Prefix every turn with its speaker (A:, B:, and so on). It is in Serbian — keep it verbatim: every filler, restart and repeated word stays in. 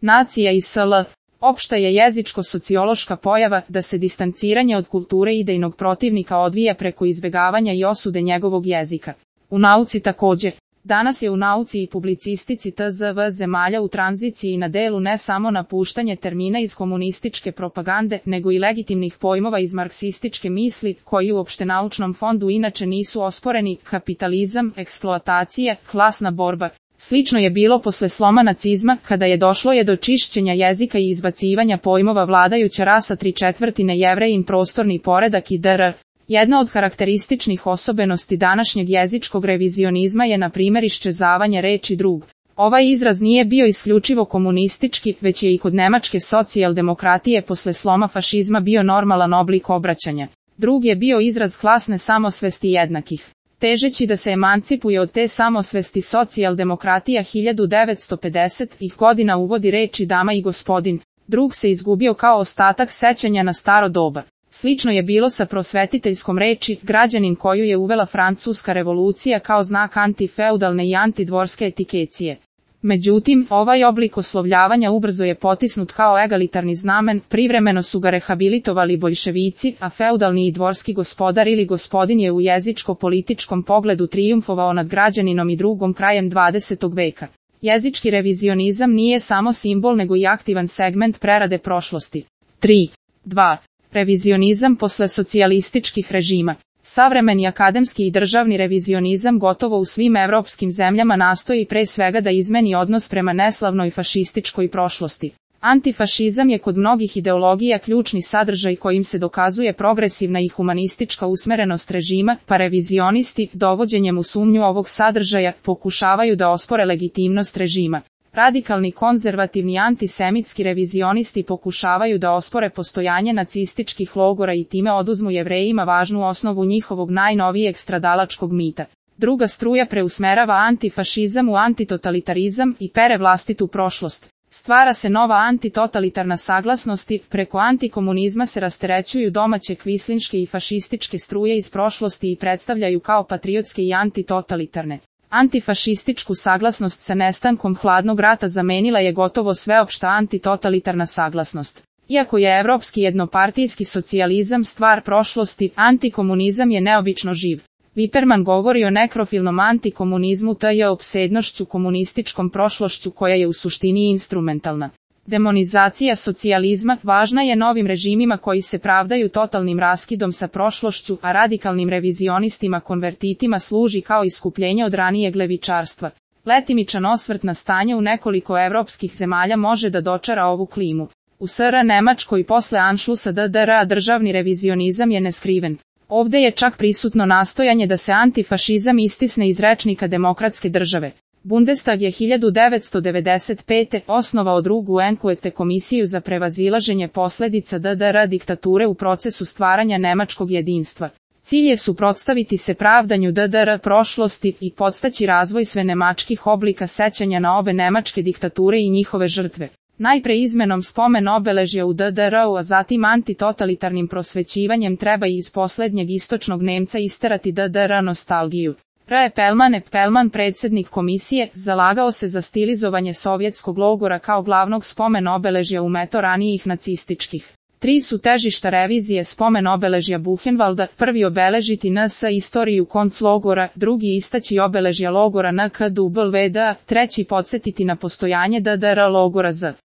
A: nacija i S L. Opšta je jezičko-sociološka pojava da se distanciranje od kulture idejnog protivnika odvija preko izbegavanja i osude njegovog jezika. U nauci takođe. Danas je u nauci i publicistici T Z V zemalja u tranziciji i na delu ne samo napuštanje termina iz komunističke propagande, nego i legitimnih pojmova iz marksističke misli, koji u opštenaučnom fondu inače nisu osporeni: kapitalizam, eksploatacija, klasna borba. Slično je bilo posle sloma nacizma, kada je došlo je do čišćenja jezika i izbacivanja pojmova vladajuća rasa, tri četvrtine Jevrejin, prostorni poredak i dr. Jedna od karakterističnih osobenosti današnjeg jezičkog revizionizma je na primjer iščezavanje reči drug. Ovaj izraz nije bio isključivo komunistički, već je i kod nemačke socijaldemokratije posle sloma fašizma bio normalan oblik obraćanja. Drug je bio izraz klasne samosvesti jednakih. Težeći da se emancipuje od te samosvesti, socijaldemokratija hiljadu devetsto pedesetih godina uvodi reči dama i gospodin. Drug se izgubio kao ostatak sećanja na staro doba. Slično je bilo sa prosvetiteljskom reči građanin, koju je uvela Francuska revolucija kao znak antifeudalne i antidvorske etikecije. Međutim, ovaj oblik oslovljavanja ubrzo je potisnut kao egalitarni znamen, privremeno su ga rehabilitovali boljševici, a feudalni i dvorski gospodar ili gospodin je u jezičko-političkom pogledu trijumfovao nad građaninom i drugom krajem dvadesetog veka. Jezički revizionizam nije samo simbol nego i aktivan segment prerade prošlosti. tri. dva. Revizionizam posle socijalističkih režima. Savremeni akademski i državni revizionizam gotovo u svim evropskim zemljama nastoji pre svega da izmeni odnos prema neslavnoj fašističkoj prošlosti. Antifašizam je kod mnogih ideologija ključni sadržaj kojim se dokazuje progresivna i humanistička usmerenost režima, pa revizionisti, dovođenjem u sumnju ovog sadržaja, pokušavaju da ospore legitimnost režima. Radikalni konzervativni antisemitski revizionisti pokušavaju da ospore postojanje nacističkih logora i time oduzmu Jevrejima važnu osnovu njihovog najnovijeg stradalačkog mita. Druga struja preusmerava antifašizam u antitotalitarizam i pere vlastitu prošlost. Stvara se nova antitotalitarna saglasnosti, preko antikomunizma se rasterećuju domaće kvislinške i fašističke struje iz prošlosti i predstavljaju kao patriotske i antitotalitarne. Antifašističku saglasnost sa nestankom hladnog rata zamenila je gotovo sveopšta antitotalitarna saglasnost. Iako je evropski jednopartijski socijalizam stvar prošlosti, antikomunizam je neobično živ. Viperman govori o nekrofilnom antikomunizmu, te je opsednošću komunističkom prošlošću koja je u suštini instrumentalna. Demonizacija socijalizma važna je novim režimima koji se pravdaju totalnim raskidom sa prošlošću, a radikalnim revizionistima konvertitima služi kao iskupljenje od ranijeg levičarstva. Letimičan osvrt na stanje u nekoliko evropskih zemalja može da dočara ovu klimu. U S R Nemačkoj posle Anšlusa D D R državni revizionizam je neskriven. Ovde je čak prisutno nastojanje da se antifašizam istisne iz rečnika demokratske države. Bundestag je hiljadu devetsto devedeset pete. osnovao drugu Enquete komisiju za prevazilaženje posledica D D R diktature u procesu stvaranja nemačkog jedinstva. Cilj je suprotstaviti se pravdanju D D R prošlosti i podstaći razvoj svenemačkih oblika sećanja na obe nemačke diktature i njihove žrtve. Najpre izmenom spomen obeležja u D D R-u, a zatim antitotalitarnim prosvećivanjem treba i iz poslednjeg istočnog Nemca isterati D D R nostalgiju. R. Pelman Pelman, predsjednik komisije, zalagao se za stilizovanje sovjetskog logora kao glavnog spomen obeležja u meto ranijih nacističkih. Tri su težišta revizije spomen obeležja Buchenwalda: prvi obeležiti N S istoriju konclogora, drugi istaći obeležja logora N K W D, treći podsjetiti na postojanje D D R logora Z.